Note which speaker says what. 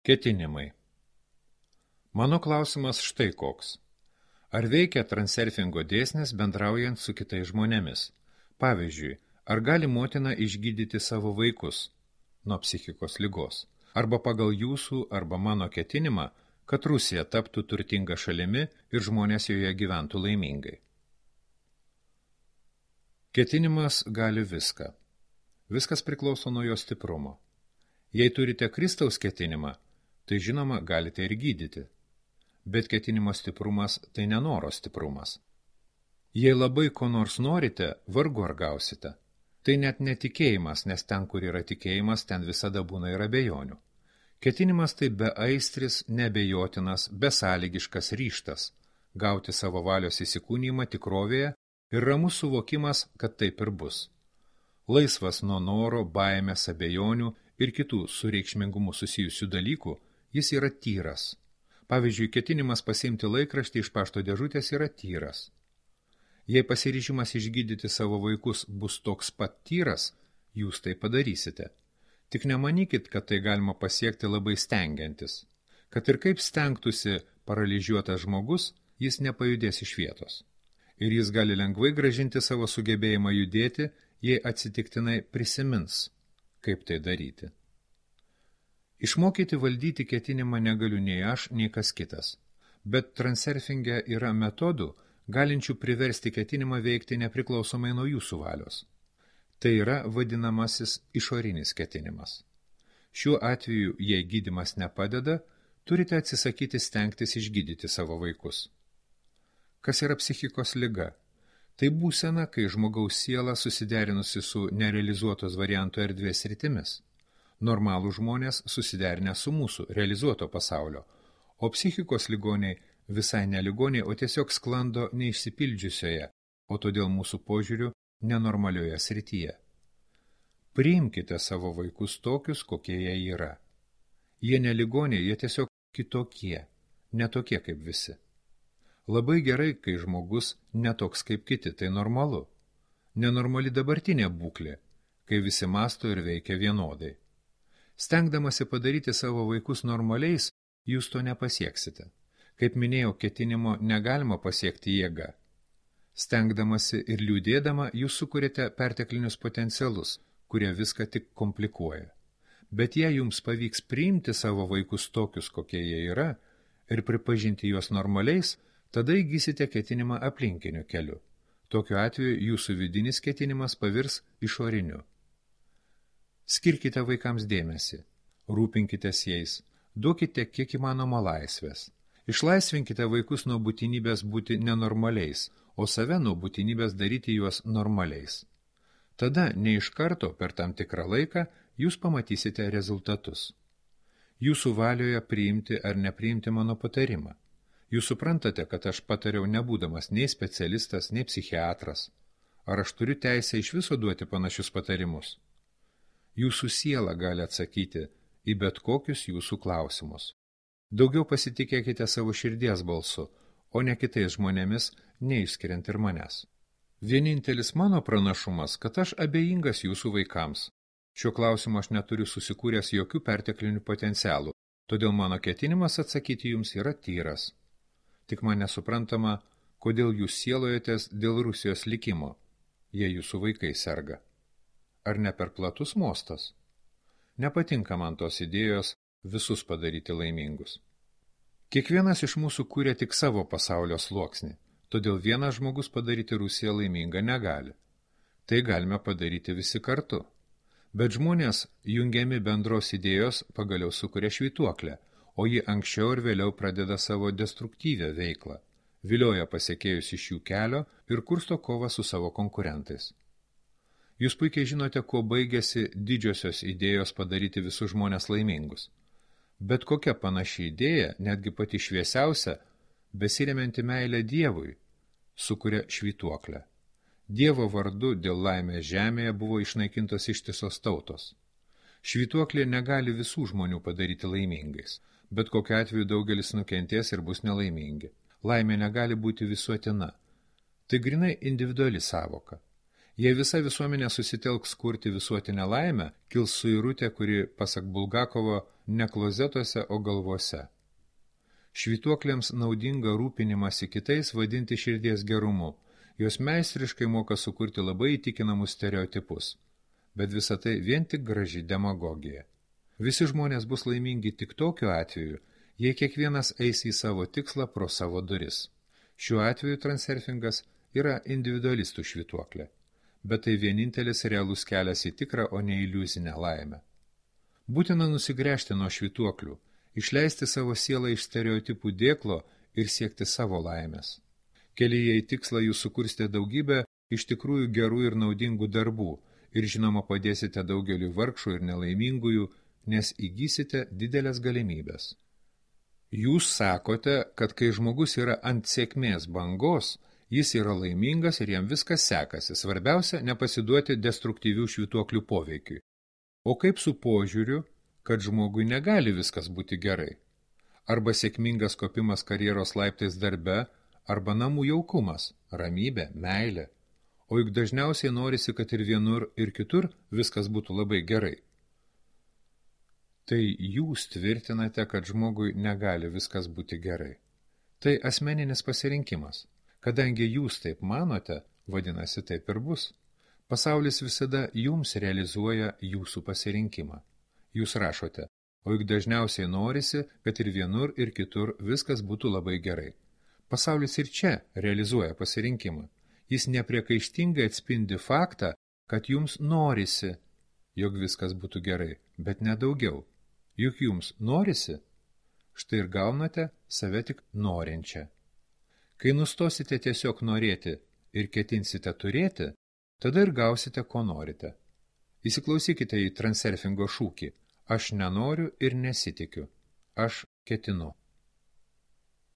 Speaker 1: Ketinimai. Mano klausimas štai koks. Ar veikia transurfingo dėsnis bendraujant su kitais žmonėmis? Pavyzdžiui, ar gali motina išgydyti savo vaikus nuo psichikos ligos? Arba pagal jūsų arba mano ketinimą, kad Rusija taptų turtinga šalimi ir žmonės joje gyventų laimingai. Ketinimas gali viską. Viskas priklauso nuo jo stiprumo. Jei turite Kristaus ketinimą, tai žinoma galite ir gydyti. Bet ketinimo stiprumas tai nenoro stiprumas. Jei labai ko nors norite, vargu ar gausite. Tai net netikėjimas, nes ten, kur yra tikėjimas, ten visada būna ir abejonių. Ketinimas tai beaistris, neabejotinas, besąlygiškas ryžtas gauti savo valios įsikūnijimą tikrovėje ir ramus suvokimas, kad taip ir bus. Laisvas nuo noro, baimės, abejonių ir kitų su reikšmingumu susijusių dalykų, jis yra tyras. Pavyzdžiui, ketinimas pasiimti laikraštį iš pašto dėžutės yra tyras. Jei pasiryžimas išgydyti savo vaikus bus toks pat tyras, jūs tai padarysite. Tik nemanykit, kad tai galima pasiekti labai stengiantis. Kad ir kaip stengtųsi paralyžiuotas žmogus, jis nepajudės iš vietos. Ir jis gali lengvai grąžinti savo sugebėjimą judėti, jei atsitiktinai prisimins, kaip tai daryti. Išmokyti valdyti ketinimą negaliu nei aš, nei kas kitas. Bet transurfinge yra metodų, galinčių priversti ketinimą veikti nepriklausomai nuo jūsų valios. Tai yra vadinamasis išorinis ketinimas. Šiuo atveju, jei gydymas nepadeda, turite atsisakyti stengtis išgydyti savo vaikus. Kas yra psichikos liga? Tai būsena, kai žmogaus siela susiderinusi su nerealizuotos varianto erdvės rytimis. Normalų žmonės susiderinę su mūsų realizuoto pasaulio, o psichikos ligoniai visai ne ligoniai, o tiesiog sklando neišsipildžiusioje, o todėl mūsų požiūriu nenormalioje srityje. Priimkite savo vaikus tokius, kokie jie yra. Jie ne ligoniai, jie tiesiog kitokie, ne tokie kaip visi. Labai gerai, kai žmogus netoks kaip kiti, tai normalu. Nenormali dabartinė būklė, kai visi mąsto ir veikia vienodai. Stengdamasi padaryti savo vaikus normaliais, jūs to nepasieksite. Kaip minėjau, ketinimo negalima pasiekti jėga. Stengdamasi ir liūdėdama, jūs sukuriate perteklinius potencialus, kurie viską tik komplikuoja. Bet jei jums pavyks priimti savo vaikus tokius, kokie jie yra, ir pripažinti juos normaliais, tada įgysite ketinimą aplinkiniu keliu. Tokiu atveju jūsų vidinis ketinimas pavirs išoriniu. Skirkite vaikams dėmesį, rūpinkitės jais, duokite kiek įmanoma laisvės. Išlaisvinkite vaikus nuo būtinybės būti nenormaliais, o save nuo būtinybės daryti juos normaliais. Tada ne iš karto per tam tikrą laiką jūs pamatysite rezultatus. Jūsų valioje priimti ar nepriimti mano patarimą. Jūs suprantate, kad aš patariau nebūdamas nei specialistas, nei psichiatras. Ar aš turiu teisę iš viso duoti panašius patarimus? Jūsų siela gali atsakyti į bet kokius jūsų klausimus. Daugiau pasitikėkite savo širdies balsu, o ne kitais žmonėmis, neišskiriant ir manęs. Vienintelis mano pranašumas, kad aš abejingas jūsų vaikams. Šiuo klausimu aš neturiu susikūręs jokių perteklinių potencialų, todėl mano ketinimas atsakyti jums yra tyras. Tik man nesuprantama, kodėl jūs sielojatės dėl Rusijos likimo, jei jūsų vaikai serga. Ar ne per platus mostas? Nepatinka man tos idėjos visus padaryti laimingus. Kiekvienas iš mūsų kūrė tik savo pasaulio sluoksnį, todėl vienas žmogus padaryti Rusiją laimingą negali. Tai galime padaryti visi kartu. Bet žmonės, jungiami bendros idėjos, pagaliau sukuria švytuoklę, o ji anksčiau ir vėliau pradeda savo destruktyvią veiklą, vilioja pasiekėjus iš jų kelio ir kursto kovą su savo konkurentais. Jūs puikiai žinote, kuo baigėsi didžiosios idėjos padaryti visus žmonės laimingus. Bet kokia panaši idėja, netgi pati šviesiausia, besiremianti meilę Dievui, sukuria švytuoklę. Dievo vardu dėl laimės žemėje buvo išnaikintos ištisos tautos. Švytuoklė negali visų žmonių padaryti laimingais, bet kokiu atveju daugelis nukentės ir bus nelaimingi. Laimė negali būti visuotina. Tai grinai individuali sąvoka. Jei visa visuomenė susitelks kurti visuotinę laimę, kils suirutė, kuri, pasak Bulgakovo, ne klozetuose, o galvose. Švytuoklėms naudinga rūpinimąsi kitais vadinti širdies gerumu. Jos meistriškai moka sukurti labai įtikinamus stereotipus. Bet visa tai vien tik graži demagogija. Visi žmonės bus laimingi tik tokiu atveju, jei kiekvienas eis į savo tikslą pro savo duris. Šiuo atveju transurfingas yra individualistų švytuoklė. Bet tai vienintelis realus kelias į tikrą, o ne iliuzinę laimę. Būtina nusigręžti nuo švytuoklių, išleisti savo sielą iš stereotipų dėklo ir siekti savo laimės. Kelyje į tikslą jūs sukursite daugybę iš tikrųjų gerų ir naudingų darbų ir žinoma padėsite daugeliu vargšų ir nelaimingųjų, nes įgysite didelės galimybės. Jūs sakote, kad kai žmogus yra ant sėkmės bangos, jis yra laimingas ir jam viskas sekasi, svarbiausia nepasiduoti destruktyvių švytuoklių poveikiui. O kaip su požiūriu, kad žmogui negali viskas būti gerai? Arba sėkmingas kopimas karjeros laiptais darbe, arba namų jaukumas, ramybė, meilė. O juk dažniausiai norisi, kad ir vienur, ir kitur viskas būtų labai gerai. Tai jūs tvirtinate, kad žmogui negali viskas būti gerai. Tai asmeninis pasirinkimas. Kadangi jūs taip manote, vadinasi taip ir bus. Pasaulis visada jums realizuoja jūsų pasirinkimą. Jūs rašote, o juk dažniausiai norisi, kad ir vienur, ir kitur viskas būtų labai gerai. Pasaulis ir čia realizuoja pasirinkimą. Jis nepriekaištingai atspindi faktą, kad jums norisi, jog viskas būtų gerai, bet nedaugiau. Juk jums norisi, štai ir gaunate save tik norinčią. Kai nustosite tiesiog norėti ir ketinsite turėti, tada ir gausite, ko norite. Įsiklausykite į transurfingo šūkį. Aš nenoriu ir nesitikiu. Aš ketinu.